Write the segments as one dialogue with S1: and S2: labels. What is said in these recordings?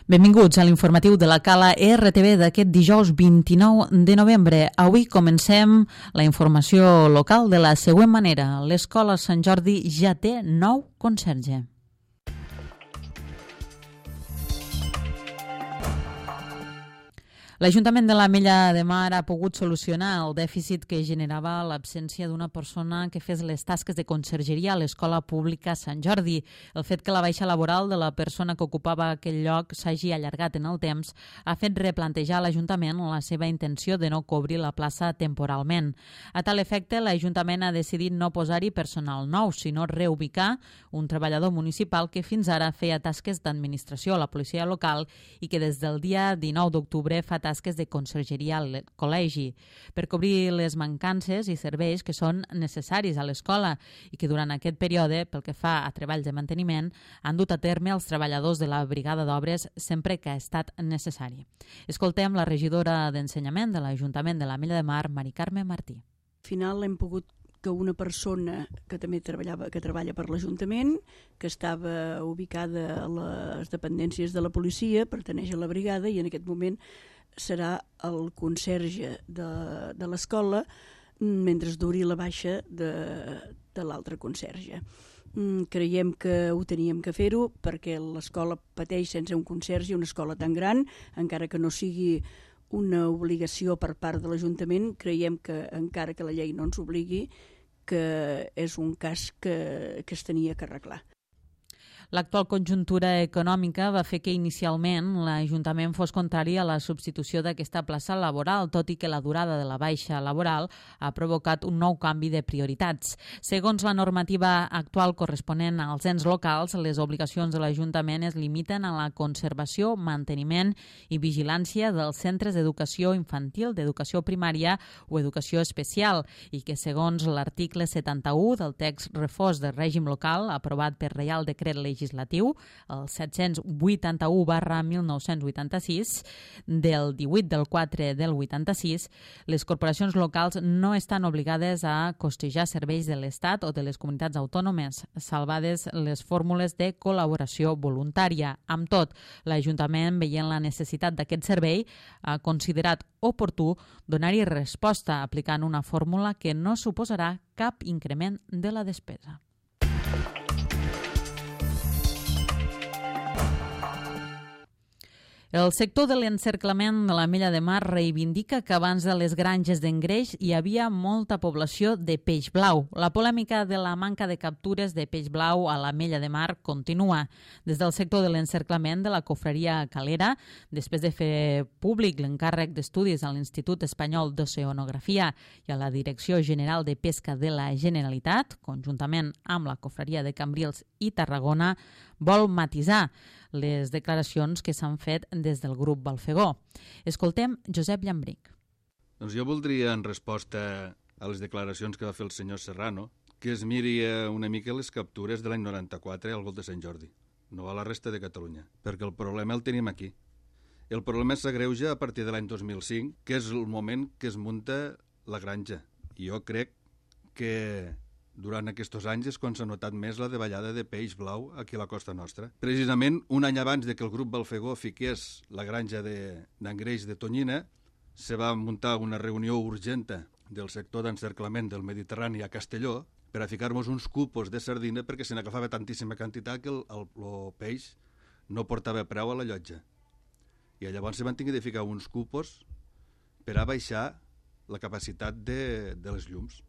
S1: Benvinguts a l'informatiu de la Cala RTV d'aquest dijous 29 de novembre. Avui comencem la informació local de la següent manera. L'Escola Sant Jordi ja té nou conserge. L'Ajuntament de l'Ametlla de Mar ha pogut solucionar el dèficit que generava l'absència d'una persona que fes les tasques de consergeria a l'Escola Pública Sant Jordi. El fet que la baixa laboral de la persona que ocupava aquell lloc s'hagi allargat en el temps ha fet replantejar a l'Ajuntament la seva intenció de no cobrir la plaça temporalment. A tal efecte, l'Ajuntament ha decidit no posar-hi personal nou, sinó reubicar un treballador municipal que fins ara feia tasques d'administració a la policia local i que des del dia 19 d'octubre fa tasques de consergeria al col·legi, per cobrir les mancances i serveis que són necessaris a l'escola i que durant aquest període, pel que fa a treballs de manteniment, han dut a terme els treballadors de la brigada d'obres sempre que ha estat necessari. Escoltem la regidora d'Ensenyament de l'Ajuntament de l'Ametlla de Mar, Mari Carme Martí.
S2: Al final hem pogut que una persona que també treballa per l'Ajuntament, que estava ubicada a les dependències de la policia, pertaneix a la brigada i en aquest moment serà el conserge de l'escola mentre duri la baixa de l'altre conserge. Creiem que ho teníem que fer-ho perquè l'escola pateix sense un conserge, una escola tan gran, encara que no sigui una obligació per part de l'Ajuntament, creiem que encara que la llei no ens obligui, que és un cas que es tenia que arreglar.
S1: L'actual conjuntura econòmica va fer que inicialment l'Ajuntament fos contrari a la substitució d'aquesta plaça laboral, tot i que la durada de la baixa laboral ha provocat un nou canvi de prioritats. Segons la normativa actual corresponent als ens locals, les obligacions de l'Ajuntament es limiten a la conservació, manteniment i vigilància dels centres d'educació infantil, d'educació primària o educació especial, i que segons l'article 71 del text refós de règim local aprovat per Reial Decret Legislatiu el 781/1986 del 18 del 4 del 86, les corporacions locals no estan obligades a costejar serveis de l'Estat o de les comunitats autònomes, salvades les fórmules de col·laboració voluntària. Amb tot, l'Ajuntament, veient la necessitat d'aquest servei, ha considerat oportú donar-hi resposta aplicant una fórmula que no suposarà cap increment de la despesa. El sector de l'encerclament de l'Ametlla de Mar reivindica que abans de les granges d'engreix hi havia molta població de peix blau. La polèmica de la manca de captures de peix blau a l'Ametlla de Mar continua. Des del sector de l'encerclament de la Confraria Calera, després de fer públic l'encàrrec d'estudis a l'Institut Espanyol d'Oceanografia i a la Direcció General de Pesca de la Generalitat, conjuntament amb la Confraria de Cambrils i Tarragona, vol matisar les declaracions que s'han fet des del grup Balfegó. Escoltem Josep Llambric.
S3: Doncs jo voldria, en resposta a les declaracions que va fer el senyor Serrano, que es miri una mica les captures de l'any 94 al Golf de Sant Jordi, no a la resta de Catalunya, perquè el problema el tenim aquí. El problema s'agreuja a partir de l'any 2005, que és el moment que es munta la granja. I jo crec que durant aquests anys és quan s'ha notat més la davallada de peix blau aquí a la costa nostra. Precisament un any abans de que el grup Balfegó fiqués la granja d'engreix de tonyina, se va muntar una reunió urgenta del sector d'encerclament del Mediterrani a Castelló per a ficar-nos uns cupos de sardina perquè se n'agafava tantíssima quantitat que el peix no portava preu a la llotja. I llavors se van tenir de ficar uns cupos per a baixar la capacitat de les llums.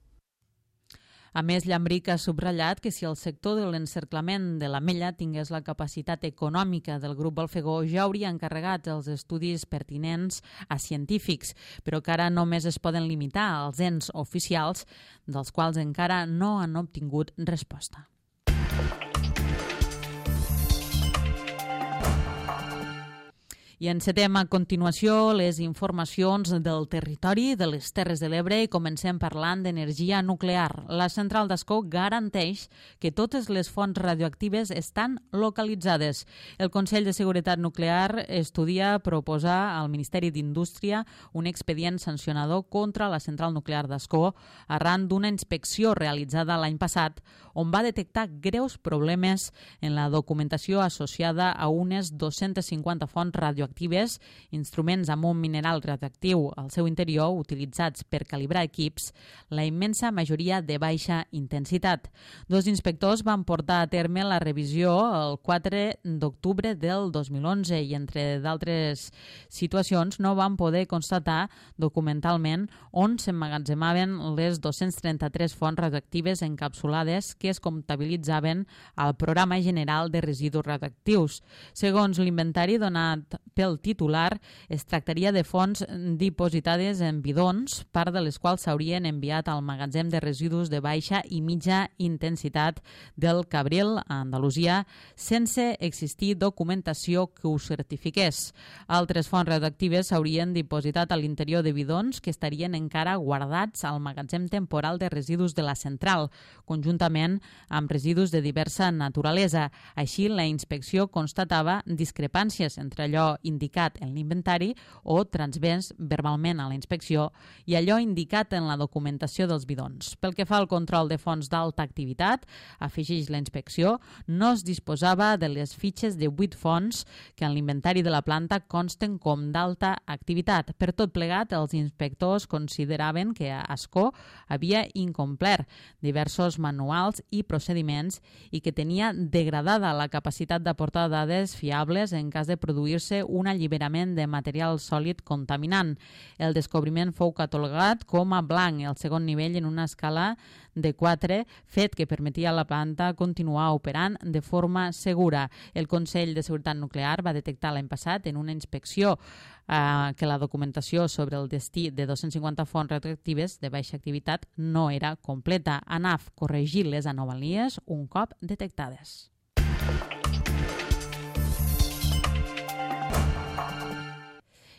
S1: A més, Llambric ha subratllat que si el sector de l'encerclament de l'Ametlla tingués la capacitat econòmica del grup Balfegó ja hauria encarregat els estudis pertinents a científics, però que ara només es poden limitar als ens oficials, dels quals encara no han obtingut resposta. I encetem a continuació les informacions del territori de les Terres de l'Ebre i comencem parlant d'energia nuclear. La central d'Ascó garanteix que totes les fonts radioactives estan localitzades. El Consell de Seguretat Nuclear estudia proposar al Ministeri d'Indústria un expedient sancionador contra la central nuclear d'Ascó arran d'una inspecció realitzada l'any passat on va detectar greus problemes en la documentació associada a unes 250 fonts radioactives, instruments amb un mineral radioactiu al seu interior utilitzats per calibrar equips, la immensa majoria de baixa intensitat. Dos inspectors van portar a terme la revisió el 4 d'octubre del 2011 i, entre d'altres situacions, no van poder constatar documentalment on s'emmagatzemaven les 233 fonts radioactives encapsulades que es comptabilitzaven al Programa General de Residus Radioactius. Segons l'inventari donat pel titular, es tractaria de fonts dipositades en bidons, part de les quals s'haurien enviat al magatzem de residus de baixa i mitja intensitat del Cabril, a Andalusia, sense existir documentació que ho certifiqués. Altres fonts radioactives s'haurien dipositat a l'interior de bidons que estarien encara guardats al magatzem temporal de residus de la central, conjuntament amb residus de diversa naturalesa. Així, la inspecció constatava discrepàncies entre allò indicat en l'inventari o transmès verbalment a la inspecció i allò indicat en la documentació dels bidons. Pel que fa al control de fonts d'alta activitat, afegeix la inspecció, no es disposava de les fitxes de 8 fonts que en l'inventari de la planta consten com d'alta activitat. Per tot plegat, els inspectors consideraven que Ascó havia incomplert diversos manuals i procediments i que tenia degradada la capacitat d'aportar dades fiables en cas de produir-se un alliberament de material sòlid contaminant. El descobriment fou catalogat com a blanc, el segon nivell en una escala de 4, fet que permetia a la planta continuar operant de forma segura. El Consell de Seguretat Nuclear va detectar l'any passat en una inspecció que la documentació sobre el destí de 250 fonts radioactives de baixa activitat no era completa. ANAF corregir les anomalies un cop detectades.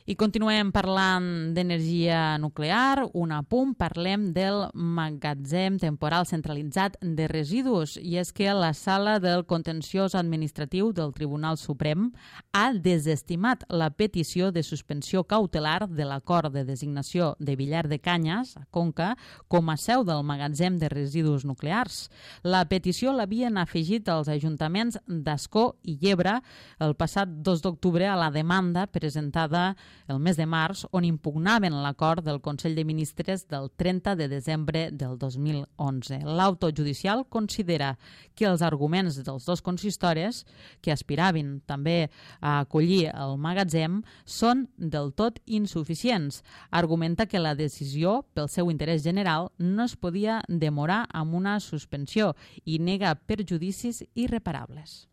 S1: I continuem parlant d'energia nuclear. Un apunt, parlem del magatzem temporal centralitzat de residus. I és que la Sala del Contenciós Administratiu del Tribunal Suprem ha desestimat la petició de suspensió cautelar de l'acord de designació de Villar de Canyes, a Conca, com a seu del magatzem de residus nuclears. La petició l'havien afegit els ajuntaments d'Ascó i Llebre el passat 2 d'octubre a la demanda presentada el mes de març, on impugnaven l'acord del Consell de Ministres del 30 de desembre del 2011. L'auto judicial considera que els arguments dels dos consistoris, que aspiraven també a acollir el magatzem, són del tot insuficients. Argumenta que la decisió, pel seu interès general, no es podia demorar amb una suspensió i nega perjudicis irreparables.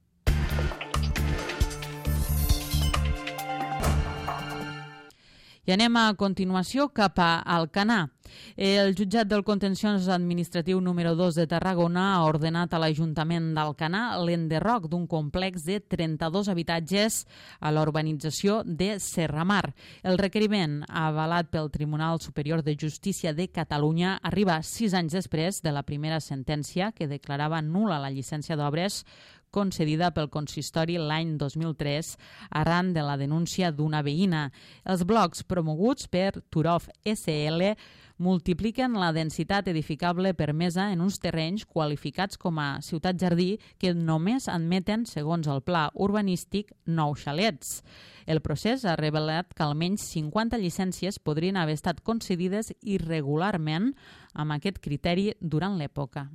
S1: I anem a continuació cap a Alcanar. El jutjat del Contenciós Administratiu número 2 de Tarragona ha ordenat a l'Ajuntament d'Alcanar l'enderroc d'un complex de 32 habitatges a la urbanització de Serramar. El requeriment, avalat pel Tribunal Superior de Justícia de Catalunya, arriba 6 anys després de la primera sentència que declarava nul·la la llicència d'obres concedida pel consistori l'any 2003 arran de la denúncia d'una veïna. Els blocs promoguts per Turov SL multipliquen la densitat edificable permesa en uns terrenys qualificats com a ciutat-jardí que només admeten, segons el pla urbanístic, 9 xalets. El procés ha revelat que almenys 50 llicències podrien haver estat concedides irregularment amb aquest criteri durant l'època.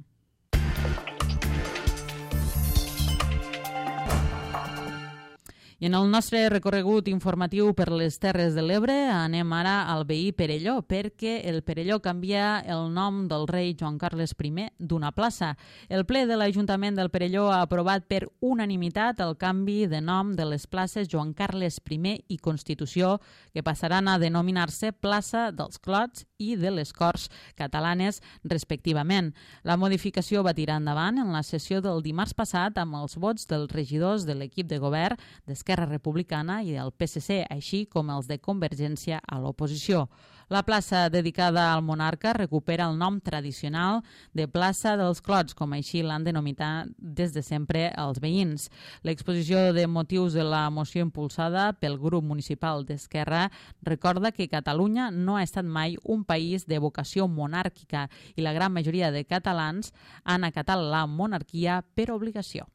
S1: I en el nostre recorregut informatiu per les Terres de l'Ebre anem ara al veí Perelló, perquè el Perelló canvia el nom del rei Joan Carles I d'una plaça. El ple de l'Ajuntament del Perelló ha aprovat per unanimitat el canvi de nom de les places Joan Carles I i Constitució, que passaran a denominar-se plaça dels Clots i de les Corts Catalanes, respectivament. La modificació va tirar endavant en la sessió del dimarts passat amb els vots dels regidors de l'equip de govern d'Esquerra Republicana i del PSC, així com els de Convergència a l'oposició. La plaça dedicada al monarca recupera el nom tradicional de plaça dels Clots, com així l'han denominat des de sempre els veïns. L'exposició de motius de la moció impulsada pel grup municipal d'Esquerra recorda que Catalunya no ha estat mai un país de vocació monàrquica i la gran majoria de catalans han acatat la monarquia per obligació.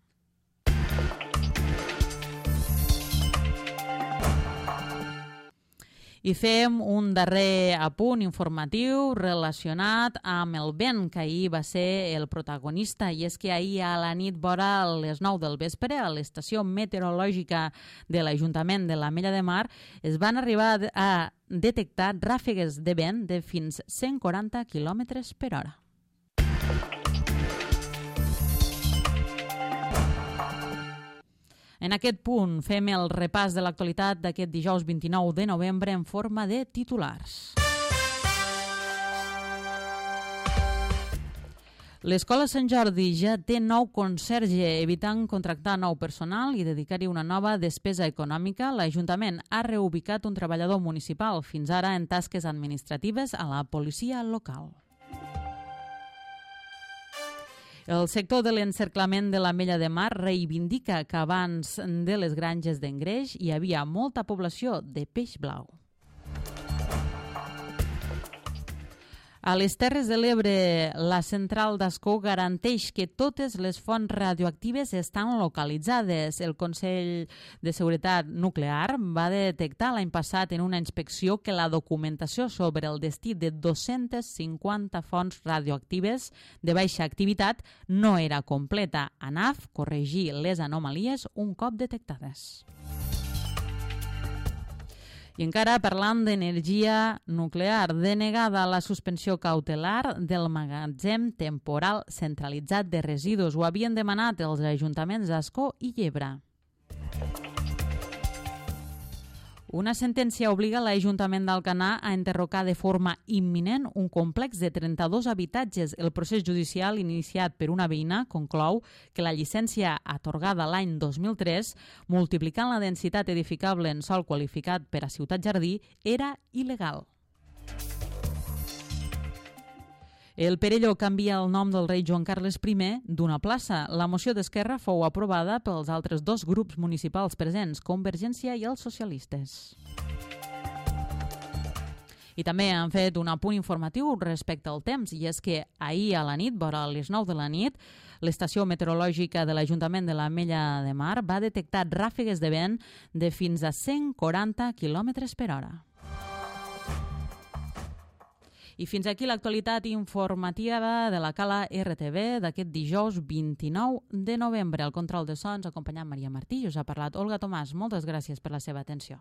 S1: I fem un darrer apunt informatiu relacionat amb el vent, que ahir va ser el protagonista, i és que ahir a la nit vora les 9 del vespre a l'estació meteorològica de l'Ajuntament de l'Ametlla de Mar es van arribar a detectar ràfegues de vent de fins 140 km per hora. En aquest punt fem el repàs de l'actualitat d'aquest dijous 29 de novembre en forma de titulars. L'Escola Sant Jordi ja té nou conserge, evitant contractar nou personal i dedicar-hi una nova despesa econòmica. L'Ajuntament ha reubicat un treballador municipal, fins ara en tasques administratives, a la policia local. El sector de l'encerclament de l'Ametlla de Mar reivindica que abans de les granges d'engreix hi havia molta població de peix blau. A les Terres de l'Ebre, la central d'Ascó garanteix que totes les fonts radioactives estan localitzades. El Consell de Seguretat Nuclear va detectar l'any passat en una inspecció que la documentació sobre el destí de 250 fonts radioactives de baixa activitat no era completa. ANAF corregir les anomalies un cop detectades. I encara parlant d'energia nuclear, denegada la suspensió cautelar del magatzem temporal centralitzat de residus. Ho havien demanat els ajuntaments d'Ascó i Llebre. Una sentència obliga l'Ajuntament d'Alcanar a enderrocar de forma imminent un complex de 32 habitatges. El procés judicial iniciat per una veïna conclou que la llicència atorgada l'any 2003, multiplicant la densitat edificable en sòl qualificat per a ciutat jardí, era il·legal. El Perelló canvia el nom del rei Joan Carles I d'una plaça. La moció d'Esquerra fou aprovada pels altres dos grups municipals presents, Convergència i els socialistes. I també han fet un apunt informatiu respecte al temps, i és que ahir a la nit, vora les 9 de la nit, l'estació meteorològica de l'Ajuntament de l'Ametlla de Mar va detectar ràfegues de vent de fins a 140 km per hora. I fins aquí l'actualitat informativa de la Cala RTV d'aquest dijous 29 de novembre. Al control de sons acompanyant Maria Martí i us ha parlat Olga Tomàs. Moltes gràcies per la seva atenció.